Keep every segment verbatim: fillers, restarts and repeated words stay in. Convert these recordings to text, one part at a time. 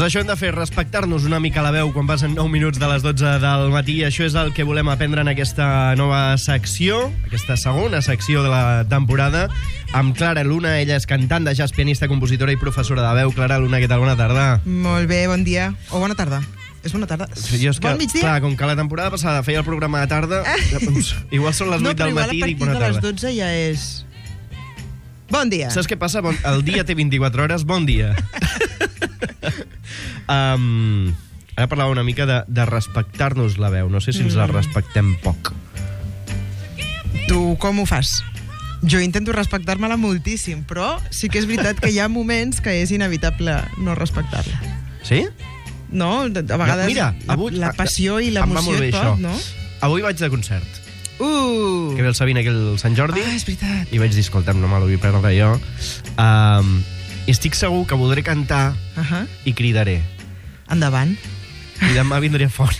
això hem de fer, respectar-nos una mica la veu quan passen nou minuts de les dotze del matí. Això és el que volem aprendre en aquesta nova secció, aquesta segona secció de la temporada, amb Clara Luna. Ella és cantant de jazz, pianista, compositora i professora de veu. Clara Luna, què tal? Bona tarda. Molt bé, bon dia. O bona tarda. És bona tarda. Jo és que, bon migdia. clar, com que la temporada passada feia el programa de tarda, doncs, igual són les no, vuit del matí i dic bona tarda. No, però igual a partir de les tarda. dotze ja és... Bon dia. Saps què passa? Bon, el dia té vint-i-quatre hores, bon dia. um, ara parlava una mica de, de respectar-nos la veu. No sé si ens la respectem poc. Tu com ho fas? Jo intento respectar-me-la moltíssim, però sí que és veritat que hi ha moments que és inevitable no respectar-la. Sí? No? A vegades Mira, avui, la, la passió i em va l'emoció molt bé i tot, això. no? Avui vaig de concert. Uh! Que ve el Sabina aquí el Sant Jordi. Ah, és veritat. I vaig dir, escolta'm, no me l'ho vull perdre jo. Um, I estic segur que voldré cantar Uh -huh. i cridaré. Endavant. I demà vindré fora.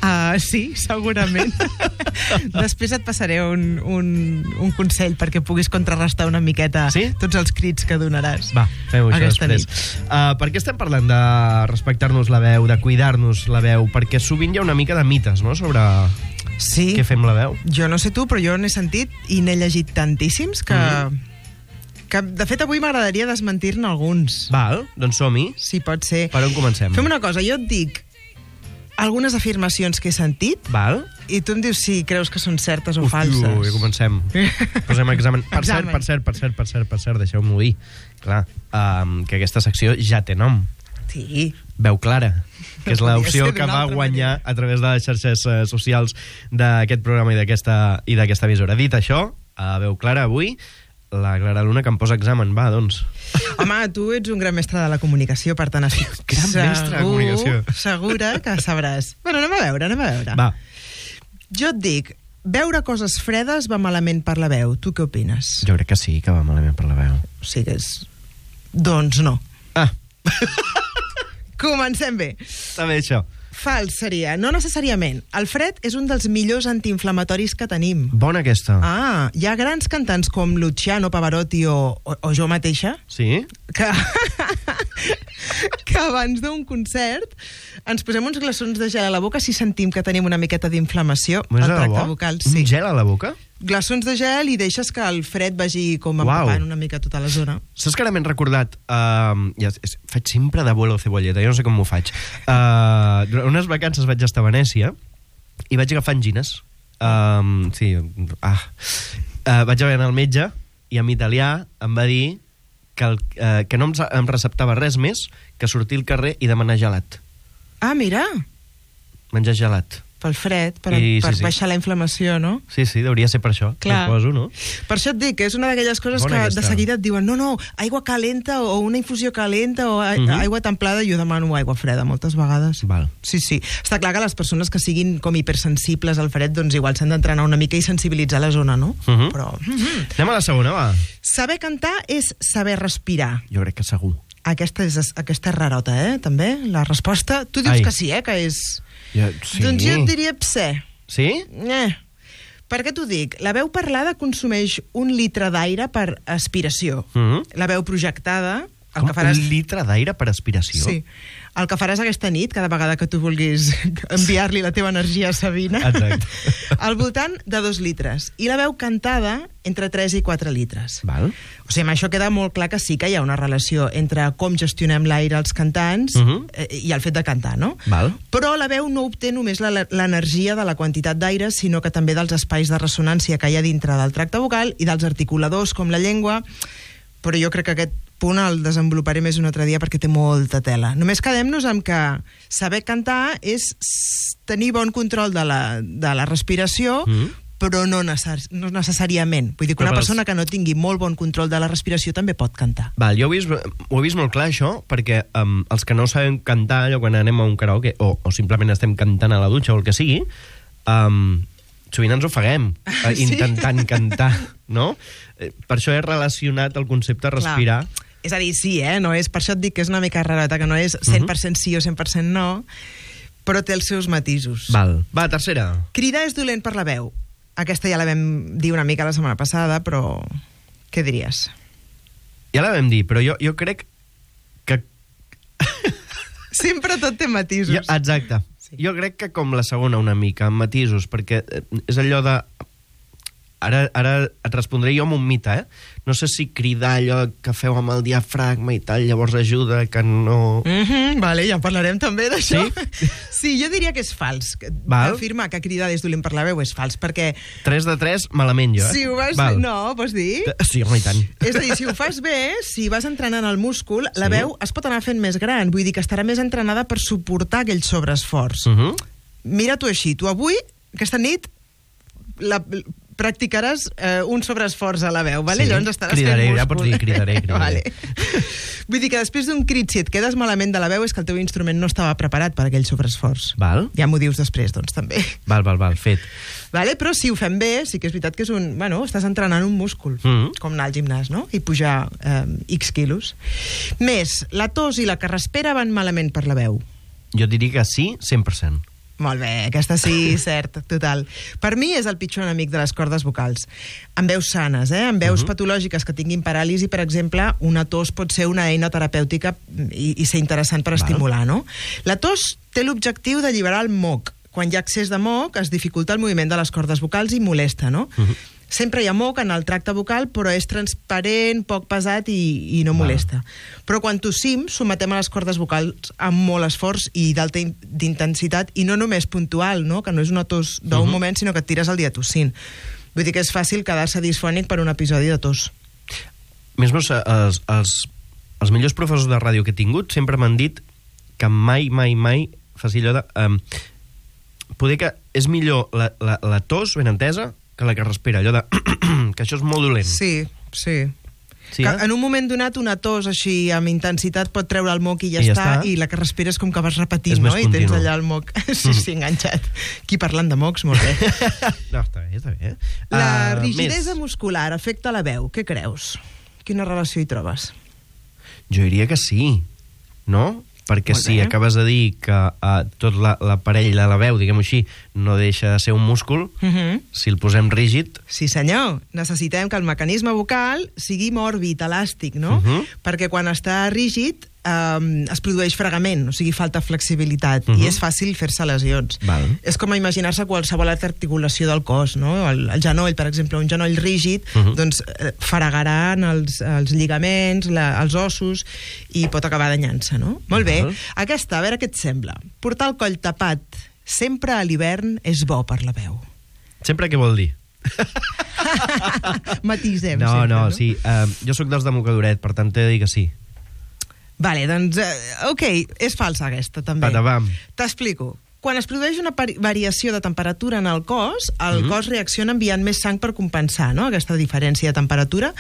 Ah, sí, segurament. Després et passaré un, un, un consell perquè puguis contrarrestar una miqueta sí? tots els crits que donaràs. Va, fem-ho això Aquesta després. Uh, per què estem parlant de respectar-nos la veu, de cuidar-nos la veu? Perquè sovint hi ha una mica de mites, no?, sobre sí. què fem la veu. Jo no sé tu, però jo n'he sentit i n'he llegit tantíssims que... Mm-hmm. que de fet, avui m'agradaria desmentir-ne alguns. Val, doncs som-hi. Sí, pot ser. Per on comencem? Fem una cosa, jo et dic algunes afirmacions que he sentit. Val. I tu em dius si creus que són certes o Uf, falses. Ui, ja comencem. Posem examen. Per examen. cert, per cert, per cert, per cert, per cert, deixeu-m'ho dir. Clar, um, que aquesta secció ja té nom. Sí. Veu Clara, que és l'opció ser que d'una va altra guanyar manera. a través de les xarxes uh, socials d'aquest programa i d'aquesta i d'aquesta emissora. Dit això, a Veu Clara avui, la Clara Luna, que em posa examen. Va, doncs. Home, tu ets un gran mestre de la comunicació, per tant, estic Gran mestre de comunicació. segura que sabràs. Bueno, anem a veure, anem a veure. Va. Jo et dic, veure coses fredes va malament per la veu. Tu què opines? Jo crec que sí, que va malament per la veu. O sigui, és... Doncs no. Ah. Comencem bé. Està bé, això. Fals seria, no necessàriament. El fred és un dels millors antiinflamatoris que tenim. Bona aquesta. Ah, hi ha grans cantants com Luciano Pavarotti o, o, o jo mateixa Sí? que, que abans d'un concert ens posem uns glaçons de gel a la boca si sentim que tenim una miqueta d'inflamació Més al de tracte debò? vocal. Un Sí. gel a la boca? Glaçons de gel i deixes que el fred vagi com Uau. empapant una mica tota la zona. Saps que ara m'he recordat... Uh, ja, és, faig sempre d'abuelo cebolleta, jo no sé com m'ho faig. Uh, durant unes vacances vaig estar a Venècia i vaig agafar angines. Uh, sí, ah. Uh, vaig haver d'anar al metge i en italià em va dir que, el, uh, que no em, em receptava res més que sortir al carrer i demanar gelat. Ah, mira, Menjar gelat. pel fred, per, I, sí, per sí. baixar la inflamació, no? Sí, sí, hauria ser per això. Clar. Suposo, no? Per això et dic que és una d'aquelles coses Bona que aquesta. de seguida et diuen no, no, aigua calenta o una infusió calenta o a- Mhm. aigua templada, i jo demano aigua freda moltes vegades. Val. Sí, sí. Està clar que les persones que siguin com hipersensibles al fred, doncs igual s'han d'entrenar una mica i sensibilitzar la zona, no? Mhm. Però... Mhm. Anem a la segona, va. Saber cantar és saber respirar. Jo crec que segur. Aquesta és, aquesta és rarota, eh, també, la resposta. Tu dius Ai. que sí, eh, que és... Jo, sí. Doncs jo et diria pse. Sí? Eh. Per què t'ho dic? La veu parlada consumeix un litre d'aire per aspiració. Mhm. La veu projectada... El Com que faràs... un litre d'aire per aspiració? Sí. El que faràs aquesta nit, cada vegada que tu vulguis enviar-li la teva energia a Sabina, Exacte. al voltant de dos litres. I la veu cantada, entre tres i quatre litres. Val. O sigui, amb això queda molt clar que sí que hi ha una relació entre com gestionem l'aire els cantants Uh -huh. eh, i el fet de cantar, no? Val. Però la veu no obté només la- l'energia de la quantitat d'aire, sinó que també dels espais de ressonància que hi ha dintre del tracte vocal i dels articuladors, com la llengua. Però jo crec que aquest punt el desenvoluparé més un altre dia perquè té molta tela. Només quedem-nos amb que saber cantar és s- tenir bon control de la, de la respiració, Mm. però no, necessari no necessàriament. Vull dir que Però una pels- persona que no tingui molt bon control de la respiració també pot cantar. Val, jo ho he vist, ho he vist molt clar, això, perquè um, els que no sabem cantar, allò quan anem a un karaoke, o, o simplement estem cantant a la dutxa o el que sigui, um, sovint ens ofeguem eh, Sí. intentant cantar, no? Eh, Per això he relacionat el concepte respirar. Clar. És a dir, sí, eh? No és, per això et dic que és una mica rareta, que no és cent per cent sí o cent per cent no, però té els seus matisos. Val. Va, tercera. Cridar és dolent per la veu. Aquesta ja la vam dir una mica la setmana passada, però què diries? Ja la vam dir, però jo, jo crec que... Sempre tot té matisos. Jo, exacte. Sí. Jo crec que com la segona una mica, amb matisos, perquè és allò de... Ara, ara et respondré jo amb un mite, eh? No sé si cridar allò que feu amb el diafragma i tal, llavors ajuda, que no... Mm-hmm, vale, ja parlarem també d'això. Sí? Sí, jo diria que és fals. Val. Afirmar que cridar és dolent per la veu és fals, perquè... tres de tres, malament jo, eh? Si ho vas... Val. No, vols dir? Sí, home, i tant. És a dir, si ho fas bé, si vas entrenant el múscul, la Sí. veu es pot anar fent més gran. Vull dir que estarà més entrenada per suportar aquell sobreesforç. Uh -huh. Mira tu així, tu avui, aquesta nit, la, practicaràs eh, un sobreesforç a la veu, vale? Sí, Llavors estaràs cridaré, fent múscul. ja pots dir cridaré, cridaré. Vale. Vull dir que després d'un crit, si et quedes malament de la veu, és que el teu instrument no estava preparat per aquell sobreesforç. Val. Ja m'ho dius després, doncs, també. Val, val, val, fet. Vale? Però si ho fem bé, sí que és veritat que és un... Bueno, estàs entrenant un múscul, Mm. com anar al gimnàs, no? I pujar eh, X quilos. Més, la tos i la carraspera van malament per la veu. Jo diria que sí, cent per cent. Molt bé, aquesta sí, cert, total. Per mi és el pitjor enemic de les cordes vocals. En veus sanes, eh? En veus uh -huh. patològiques que tinguin paràlisi, per exemple, una tos pot ser una eina terapèutica i, i ser interessant per Val. estimular, no? La tos té l'objectiu d'alliberar el moc. Quan hi ha excés de moc, es dificulta el moviment de les cordes vocals i molesta, no? Uh -huh. Sempre hi ha moc en el tracte vocal, però és transparent, poc pesat i, i no molesta. Val. Però quan tossim, sometem a les cordes vocals amb molt esforç i d'alta intensitat, i no només puntual, no? Que no és una tos d'un uh -huh. moment, sinó que et tires el dia tossint. Vull dir que és fàcil quedar-se disfònic per un episodi de tos. Més meus, els, els, els millors professors de ràdio que he tingut sempre m'han dit que mai, mai, mai faci allò de... Um, poder que és millor la, la, la tos, ben entesa, que la que respira, allò de... que això és molt dolent. Sí, sí. Sí, que eh? en un moment donat una tos així amb intensitat pot treure el moc i ja, I ja està, està. i la que respires com que vas repetint, És no? més I tens continu. allà el moc sí, sí, enganxat. Aquí parlant de mocs, molt bé. No, està bé, està bé. La Uh, rigidesa més. muscular afecta la veu. Què creus? Quina relació hi trobes? Jo diria que sí, no? Perquè Molt si bé. acabes de dir que uh, tot la- l'aparell de la veu, diguem-ho així, no deixa de ser un múscul, Uh -huh. si el posem rígid... Sí, senyor. Necessitem que el mecanisme vocal sigui mòrbid, elàstic, no? Uh -huh. Perquè quan està rígid eh, es produeix fregament, o sigui, falta flexibilitat, Uh -huh. i és fàcil fer-se lesions. Val. És com imaginar-se qualsevol altra articulació del cos, no? El, el genoll, per exemple, un genoll rígid, Uh -huh. doncs eh, fregaran els, els lligaments, la, els ossos, i pot acabar danyant-se, no? Molt bé. Val. Aquesta, a veure què et sembla. Portar el coll tapat sempre a l'hivern és bo per la veu. Sempre què vol dir? Matisem No, sempre, no, no? sí. Uh, jo sóc dels de mocadoret, per tant t'he de dir que sí. Vale, doncs, eh, ok, és falsa aquesta, també. Patapam. T'explico. Quan es produeix una pari- variació de temperatura en el cos, el Mhm. cos reacciona enviant més sang per compensar, no?, aquesta diferència de temperatura.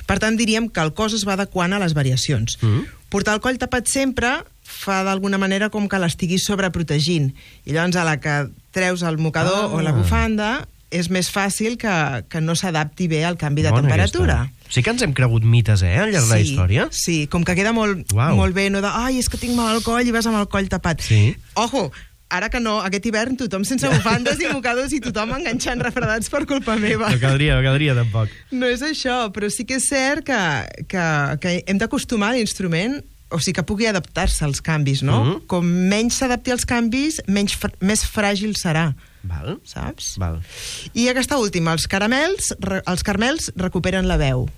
Per tant, diríem que el cos es va adequant a les variacions. Mhm. Portar el coll tapat sempre fa d'alguna manera com que l'estiguis sobreprotegint. I llavors, a la que treus el mocador Ah. o la bufanda, és més fàcil que, que no s'adapti bé al canvi de Bona temperatura. aquesta. Sí que ens hem cregut mites, eh, al llarg de la història. Sí, com que queda molt, Uau. molt bé, no de, ai, és que tinc mal al coll i vas amb el coll tapat. Sí. Ojo, ara que no, aquest hivern tothom sense bufandes i mocadors i tothom enganxant refredats per culpa meva. No caldria, no caldria tampoc. No és això, però sí que és cert que, que, que hem d'acostumar l'instrument, o sigui, que pugui adaptar-se als canvis, no? Mhm. Com menys s'adapti als canvis, menys fr més fràgil serà, Val. saps? Val. I aquesta última, els caramels, re- els carmels recuperen la veu.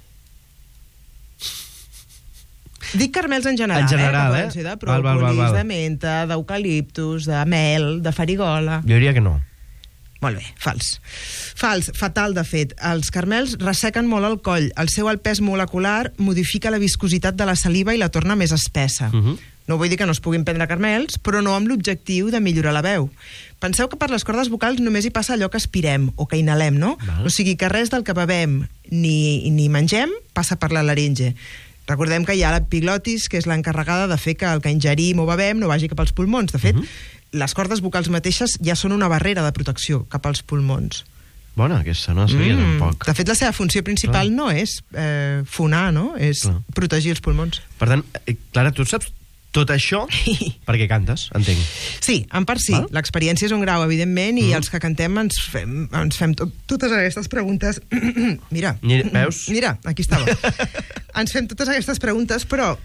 Dic carmels en general, En general, eh? eh? Que poden ser de Val, val, val, pròpolis, val. de menta, d'eucaliptus, de mel, de farigola... Jo diria que no. Molt bé, fals. Fals, fatal, de fet. Els carmels ressequen molt el coll. El seu alt pes molecular modifica la viscositat de la saliva i la torna més espessa. Uh -huh. No vull dir que no es puguin prendre carmels, però no amb l'objectiu de millorar la veu. Penseu que per les cordes vocals només hi passa allò que aspirem o que inhalem, no? Val. O sigui que res del que bevem ni, ni mengem passa per la laringe. Recordem que hi ha l'epiglotis, que és l'encarregada de fer que el que ingerim o bevem no vagi cap als pulmons. De fet, uh -huh. les cordes vocals mateixes ja són una barrera de protecció cap als pulmons. Bona, aquesta no la sabia mm. tampoc. De fet, la seva funció principal Clar. no és eh, fonar, no? És Clar. protegir els pulmons. Per tant, eh, Clara, tu saps tot això perquè cantes, entenc. Sí, en part sí. Val? L'experiència és un grau, evidentment, i Mm. els que cantem ens fem, ens fem tot, totes aquestes preguntes. Mira. Mira, veus? Mira, aquí estava. Ens fem totes aquestes preguntes, però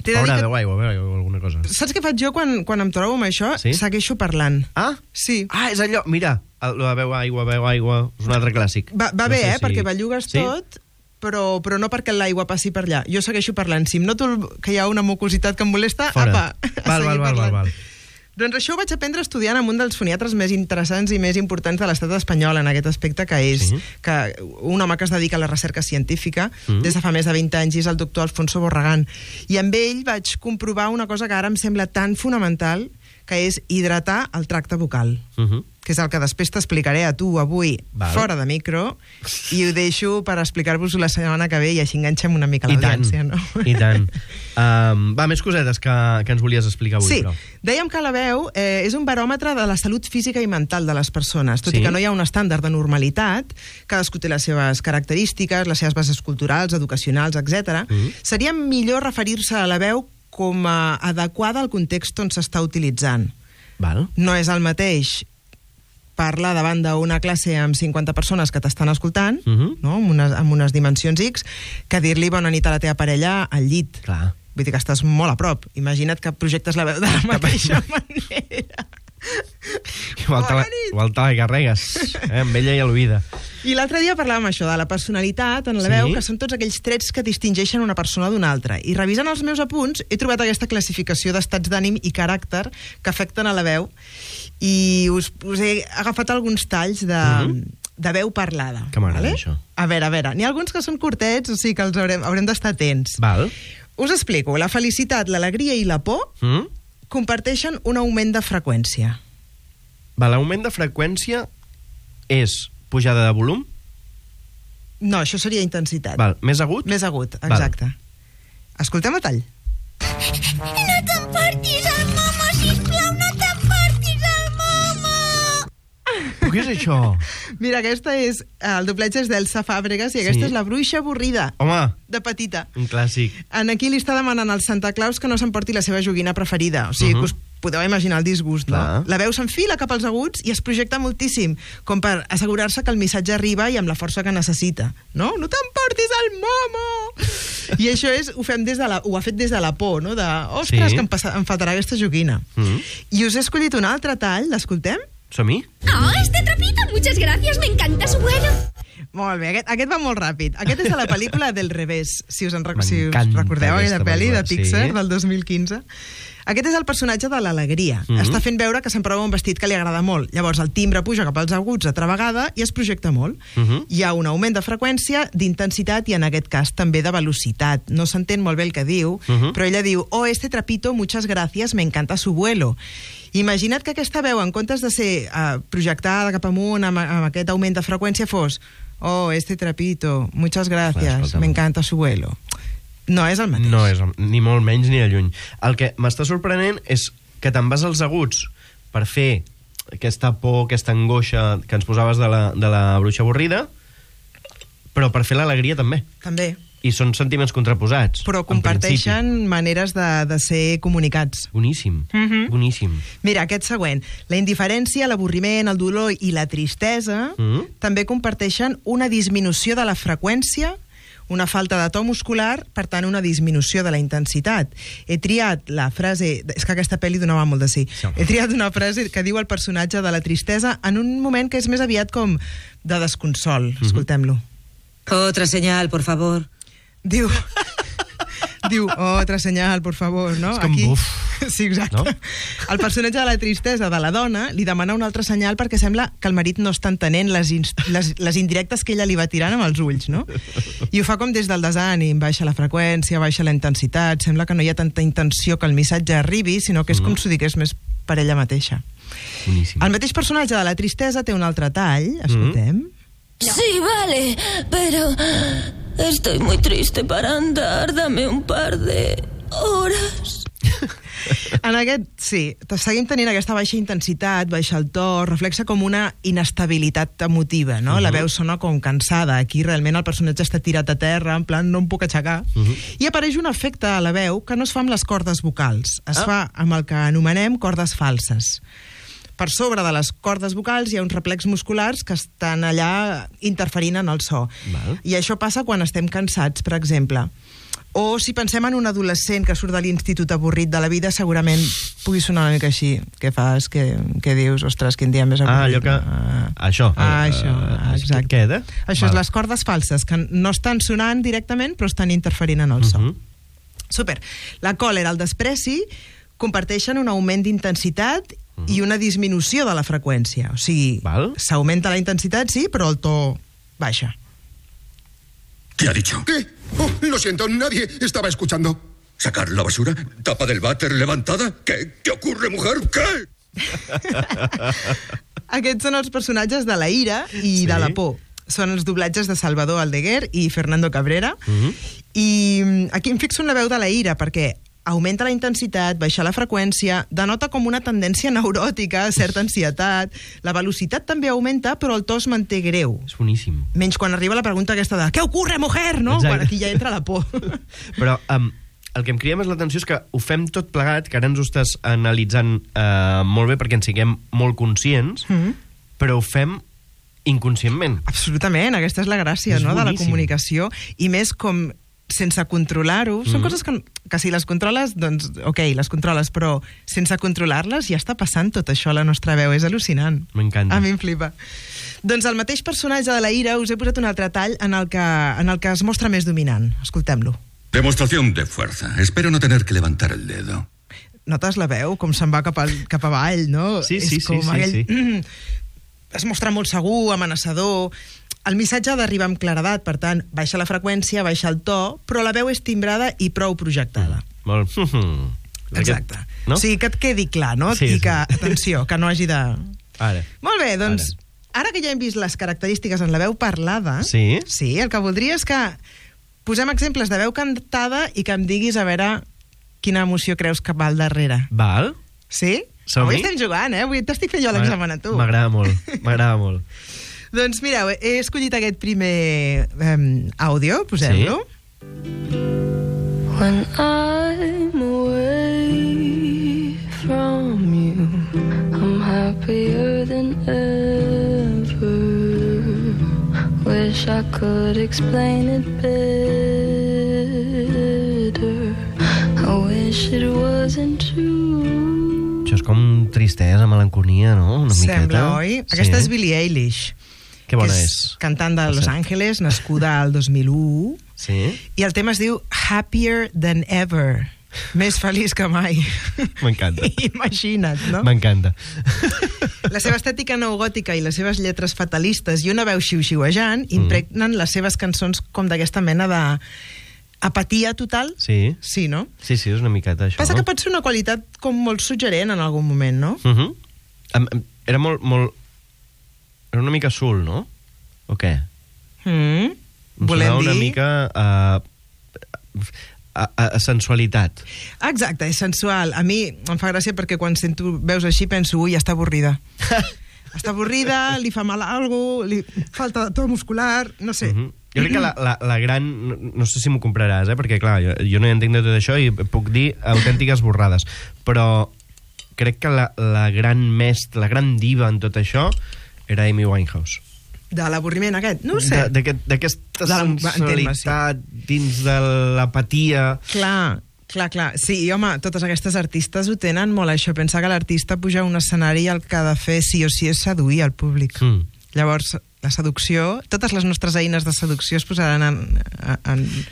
T'he de dir Haurà que... veu aigua, veu aigua, alguna cosa. Saps què faig jo quan, quan em trobo amb això? Sí? Segueixo parlant. Ah? Sí. Ah, és allò, mira, el de veu aigua, veu aigua, és un altre clàssic. Va, va No bé, sé eh? si- Perquè bellugues Sí? tot, però, però no perquè l'aigua passi per allà. Jo segueixo parlant. Si em noto que hi ha una mucositat que em molesta, Fora. apa, a Val, seguir val, val, parlant. val, val. Doncs això ho vaig aprendre estudiant amb un dels foniatres més interessants i més importants de l'estat espanyol en aquest aspecte, que és Sí. que un home que es dedica a la recerca científica Mm. des de fa més de vint anys, i és el doctor Alfonso Borragán. I amb ell vaig comprovar una cosa que ara em sembla tan fonamental, que és hidratar el tracte vocal. Uh -huh. Que és el que després t'explicaré a tu avui, Val. fora de micro, i ho deixo per explicar-vos-ho la setmana que ve i així enganxem una mica I tant, l'audiència, no? i tant. Um, va, més cosetes que, que ens volies explicar avui, Sí, però. dèiem que la veu eh, és un baròmetre de la salut física i mental de les persones, tot Sí. i que no hi ha un estàndard de normalitat, cadascú té les seves característiques, les seves bases culturals, educacionals, etcètera. Mm. Seria millor referir-se a la veu com a adequada al context on s'està utilitzant. Val. No és el mateix parlar davant d'una classe amb cinquanta persones que t'estan escoltant, Uh -huh. no? amb, unes, amb unes dimensions X, que dir-li bona nit a la teva parella al llit. Clar. Vull dir que estàs molt a prop. Imagina't que projectes la veu de la mateixa manera. Igual te, la, Bona nit. igual te la carregues, eh, amb ella i a l'oïda. I l'altre dia parlàvem això, de la personalitat en la Sí? veu, que són tots aquells trets que distingeixen una persona d'una altra. I revisant els meus apunts, he trobat aquesta classificació d'estats d'ànim i caràcter que afecten a la veu, i us, us he agafat alguns talls de, uh -huh. de veu parlada. Que m'agrada, això. A veure, a veure, n'hi ha alguns que són curtets, o sigui que els haurem, haurem d'estar atents. Val. Us explico. La felicitat, l'alegria i la por Mm? comparteixen un augment de freqüència. Va, l'augment de freqüència és pujada de volum? No, això seria intensitat. Val. Més agut? Més agut, exacte. Val. Escoltem el tall. No t'emportis el momo, sisplau, no t'emportis el momo! Però què és això? Mira, aquesta és... El doblatge és d'Elsa Fàbregas i aquesta Sí. és la bruixa avorrida, Home, de petita. un clàssic. En aquí li està demanant al Santa Claus que no s'emporti la seva joguina preferida. O sigui, Uh-huh. que us podeu imaginar el disgust, no? Clar. La veu s'enfila cap als aguts i es projecta moltíssim, com per assegurar-se que el missatge arriba i amb la força que necessita. No? No t'emportis el momo! I això és, ho fem des de la, ho ha fet des de la por, no? De, ostres, Sí. que em, passa, em faltarà aquesta joguina. Mm. I us he escollit un altre tall, l'escoltem? Som-hi? ¡Oh, este trapito! Muchas gracias, me encanta su vuelo. Molt bé, aquest, aquest va molt ràpid. Aquest és de la pel·lícula Del revés, si us, en, rec- si us M'encanta recordeu aquella aquesta pel·li de pel·lícula, Pixar sí. del dos mil quinze. Aquest és el personatge de l'alegria. Mhm. Està fent veure que s'emprova un vestit que li agrada molt. Llavors el timbre puja cap als aguts altra vegada i es projecta molt. Mhm. Hi ha un augment de freqüència, d'intensitat i en aquest cas també de velocitat. No s'entén molt bé el que diu, Mhm. però ella diu: oh, este trapito, muchas gracias, me encanta su vuelo. Imagina't que aquesta veu, en comptes de ser uh, projectada cap amunt amb, amb aquest augment de freqüència, fos: oh, este trapito, muchas Clar, gracias, escolta'm. me encanta su vuelo. No és el mateix. No és, ni molt menys ni de lluny. El que m'està sorprenent és que te'n vas als aguts per fer aquesta por, aquesta angoixa que ens posaves de la, de la bruixa avorrida, però per fer l'alegria també. També. I són sentiments contraposats. Però en principi. comparteixen maneres de, de ser comunicats. Boníssim, Mhm. boníssim. Mira, aquest següent. La indiferència, l'avorriment, el dolor i la tristesa Mhm. també comparteixen una disminució de la freqüència, una falta de to muscular, per tant, una disminució de la intensitat. He triat la frase... És que aquesta pel·li donava molt de sí. Sí, home. He triat una frase que diu el personatge de la tristesa en un moment que és més aviat com de desconsol. Mhm. Escoltem-lo. Otra señal, por favor. Diu... Diu, otra senyal, por favor, no? És com buf. Sí, exacte. No? El personatge de la tristesa de la dona li demana un altre senyal perquè sembla que el marit no està entenent les, inst les, les indirectes que ella li va tirant amb els ulls, no? I ho fa com des del desànim, baixa la freqüència, baixa la intensitat, sembla que no hi ha tanta intenció que el missatge arribi, sinó que és com si ho digués més per ella mateixa. Boníssim. El mateix personatge de la tristesa té un altre tall, escoltem. Sí, vale, pero estoy muy triste para andar. Dame un par de horas. En aquest, sí, seguim tenint aquesta baixa intensitat, baixa el to, reflexa com una inestabilitat emotiva, no? Uh -huh. La veu sona com cansada. Aquí realment el personatge està tirat a terra, en plan, no em puc aixecar. Uh -huh. I apareix un efecte a la veu que no es fa amb les cordes vocals, es Ah. fa amb el que anomenem cordes falses. Per sobre de les cordes vocals hi ha uns reflex musculars que estan allà interferint en el so. Val. I això passa quan estem cansats, per exemple. O si pensem en un adolescent que surt de l'institut avorrit de la vida, segurament pugui sonar una mica així. Què fas? Què, què dius? Ostres, quin dia més avorrit. Ah, allò que... Ah, això. Ah, això, Uh, exacte. Què queda? Això Val. És les cordes falses, que no estan sonant directament, però estan interferint en el so. Uh -huh. Super. La còlera, el despreci, comparteixen un augment d'intensitat uh -huh. i una disminució de la freqüència. O sigui, s'augmenta la intensitat, sí, però el to baixa. ¿Qué ha dicho? ¿Qué? Oh, lo siento, nadie estaba escuchando. ¿Sacar la basura? ¿Tapa del váter levantada? ¿Qué? ¿Qué ocurre, mujer? ¿Qué? Aquests són els personatges de la ira i Sí. de la por. Són els doblatges de Salvador Aldeguer i Fernando Cabrera. Uh -huh. I aquí em fixo en la veu de la ira, perquè augmenta la intensitat, baixa la freqüència, denota com una tendència neuròtica, certa ansietat. La velocitat també augmenta, però el to es manté greu. És boníssim. Menys quan arriba la pregunta aquesta de «Què ocurre, mujer?», no? Exacte. Quan aquí ja entra la por. Però um, el que em crida més l'atenció és que ho fem tot plegat, que ara ens ho estàs analitzant uh, molt bé perquè en siguem molt conscients, mm -hmm. però ho fem inconscientment. Absolutament, aquesta és la gràcia, És no?, de la boníssim. comunicació, i més com sense controlar-ho. Són Mm. coses que, que si les controles, doncs, ok, les controles, però sense controlar-les ja està passant tot això a la nostra veu. És al·lucinant. M'encanta. A mi em flipa. Doncs el mateix personatge de la ira us he posat un altre tall en el que, en el que es mostra més dominant. Escoltem-lo. Demostración de fuerza. Espero no tener que levantar el dedo. Notes la veu, com se'n va cap, al, cap avall, no? Sí, sí, És com sí, sí, aquell... sí. Es mostra molt segur, amenaçador. El missatge ha d'arribar amb claredat, per tant, baixa la freqüència, baixa el to, però la veu és timbrada i prou projectada. Mm. Molt... Exacte. No? O sigui, que et quedi clar, no? Sí, I sí. que, atenció, que no hagi de... Ara. Molt bé, doncs, ara. ara que ja hem vist les característiques en la veu parlada, Sí. sí, el que voldria és que posem exemples de veu cantada i que em diguis a veure quina emoció creus que va al darrere. Val. Sí? Som-hi? Avui estem jugant, eh? Avui t'estic fent jo l'examen a tu. M'agrada molt, m'agrada molt. Doncs mireu, he escollit aquest primer um, àudio, posem-lo. Sí. When I'm away from you, I'm happier than ever. Wish I could explain it better. I wish it wasn't true. Això és com tristesa, melanconia, no? Una Sembla, miqueta. oi? Aquesta és Billie Eilish. Que bona que és. Cantant de Los Sí. Angeles, nascuda al dos mil u. Sí? I el tema es diu Happier Than Ever. Més feliç que mai. M'encanta. Imagina't, no? M'encanta. La seva estètica neogòtica i les seves lletres fatalistes i una veu xiu-xiuejant impregnen les seves cançons com d'aquesta mena de apatia total. Sí. Sí, no? Sí, sí, és una miqueta això. Passa que pot ser una qualitat com molt suggerent en algun moment, no? Uh -huh. em, em, era molt, molt... Era una mica sul, no? O què? Mm. Em Volem sonava dir... una mica a, a, a, a sensualitat. Exacte, és sensual. A mi em fa gràcia perquè quan sento veus així penso, ui, està avorrida. Està avorrida, li fa mal a algú, li falta to muscular, no sé. Uh -huh. Jo crec que la, la, la gran... No, no sé si m'ho compraràs, eh? Perquè, clar, jo, jo no hi entenc de tot això i puc dir autèntiques borrades. Però crec que la, la gran mestra, la gran diva en tot això era Amy Winehouse. De l'avorriment aquest, no ho sé. D'aquesta De la- sensualitat dins de l'apatia. Clar, clar, clar. Sí, i home, totes aquestes artistes ho tenen molt, això. Pensa que l'artista puja a un escenari i el que ha de fer sí o sí és seduir el públic. Mm. Llavors, la seducció, totes les nostres eines de seducció es posaran en, en,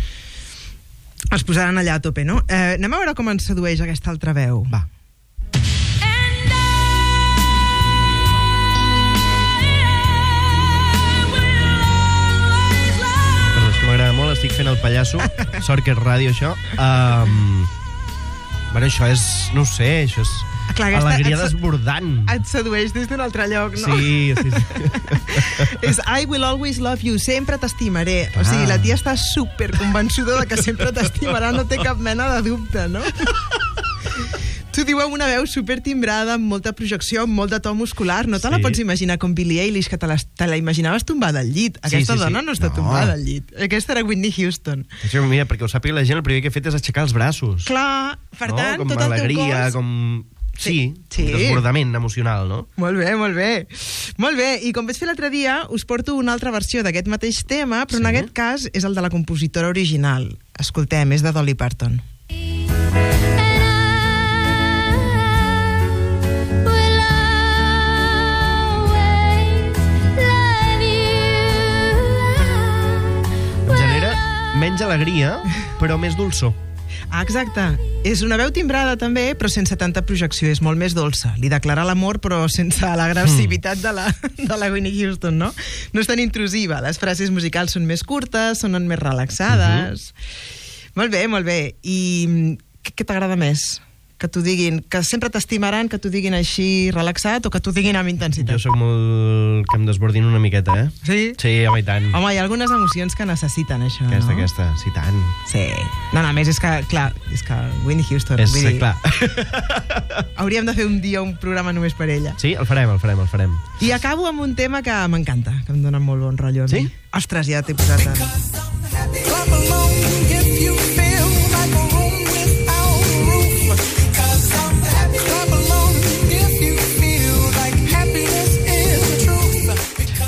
es posaran allà a tope, no? Eh, anem a veure com ens sedueix aquesta altra veu. Va. Perdó, és que m'agrada molt, estic fent el pallasso. Sort que és ràdio, això. Um, bueno, això és, no ho sé, això és Clar, aquesta- alegria et- desbordant. Et sedueix des d'un altre lloc, no? Sí, sí, sí. És I will always love you, sempre t'estimaré. O sigui, la tia està super convençuda de que sempre t'estimarà, no té cap mena de dubte, no? T'ho diu amb una veu super timbrada, amb molta projecció, amb molt de to muscular. No te la Sí. pots imaginar com Billie Eilish, que te la, te la imaginaves tombada al llit. Aquesta sí, sí. dona no està No. tombada al llit. Aquesta era Whitney Houston. Això, mira, perquè ho sàpiga la gent, el primer que he fet és aixecar els braços. Clar, per no? tant, com tot el teu alegria, cos... com... Sí, Sí. un desbordament emocional, no? Molt bé, molt bé. Molt bé, i com vaig fer l'altre dia, us porto una altra versió d'aquest mateix tema, però Sí. en aquest cas és el de la compositora original. Escoltem, és de Dolly Parton. Genera menys alegria, però més dolçor. Ah, exacte. És una veu timbrada també, però sense tanta projecció, és molt més dolça. Li declara l'amor, però sense l'agressivitat de la, de la Whitney Houston, no? No és tan intrusiva. Les frases musicals són més curtes, sonen més relaxades. Uh-huh. Molt bé, molt bé. I què, què t'agrada més? Que t'ho diguin, que sempre t'estimaran, que t'ho diguin així relaxat o que t'ho diguin amb intensitat? Jo sóc molt... que em desbordin una miqueta, eh? Sí? Sí, home, i tant. Home, hi ha algunes emocions que necessiten això, Aquesta, no? aquesta, sí, tant. Sí. No, no, a més, és que, clar, és que Whitney Houston... És, vull dir, clar. hauríem de fer un dia un programa només per ella. Sí, el farem, el farem, el farem. I acabo amb un tema que m'encanta, que em dona molt bon rotllo a mi. Sí? Ostres, ja t'he posat a...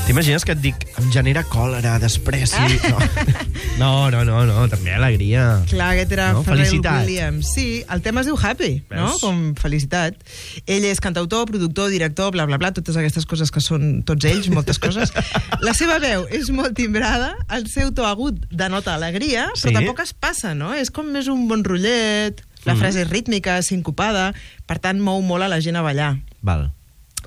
T'imagines que et dic em genera còlera, despreci... No, no, no, no, no també alegria. Clar, aquest era No? Pharrell Felicitat. Williams. Sí, el tema es diu Happy, no? Veus? Com felicitat. Ell és cantautor, productor, director, bla, bla, bla, totes aquestes coses que són tots ells, moltes coses. La seva veu és molt timbrada, el seu to agut denota alegria, però Sí. tampoc es passa, no? És com més un bon rotllet, la Mm. frase és rítmica, sincopada, per tant mou molt a la gent a ballar. Val,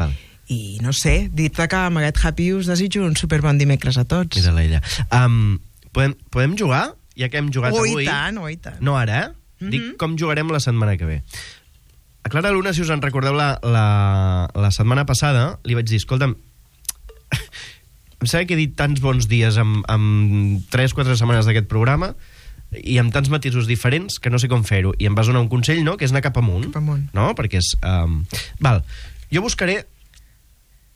val. I no sé, dit-te que amb aquest Happy us desitjo un superbon dimecres a tots. Mira-la ella. Um, podem, podem jugar? Ja que hem jugat Oh, avui... i tant, oh, i tant. No ara, eh? Mhm. Dic com jugarem la setmana que ve. A Clara Luna, si us en recordeu, la, la, la setmana passada li vaig dir, escolta'm, em sembla que he dit tants bons dies amb, amb tres o quatre setmanes d'aquest programa i amb tants matisos diferents que no sé com fer-ho. I em vas donar un consell, no?, que és anar cap amunt. Cap amunt. No? Perquè és... Um... Val, jo buscaré,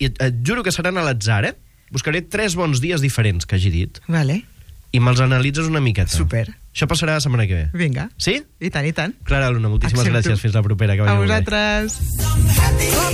i et, et juro que seran a l'atzar, eh? Buscaré tres bons dies diferents que hagi dit Vale, i me'ls analitzes una miqueta. super. Això passarà la setmana que ve. Vinga. Sí? I tant, i tant. Clara Luna, moltíssimes Accepto. gràcies. Fins la propera. Que vagi A molt bé. vosaltres.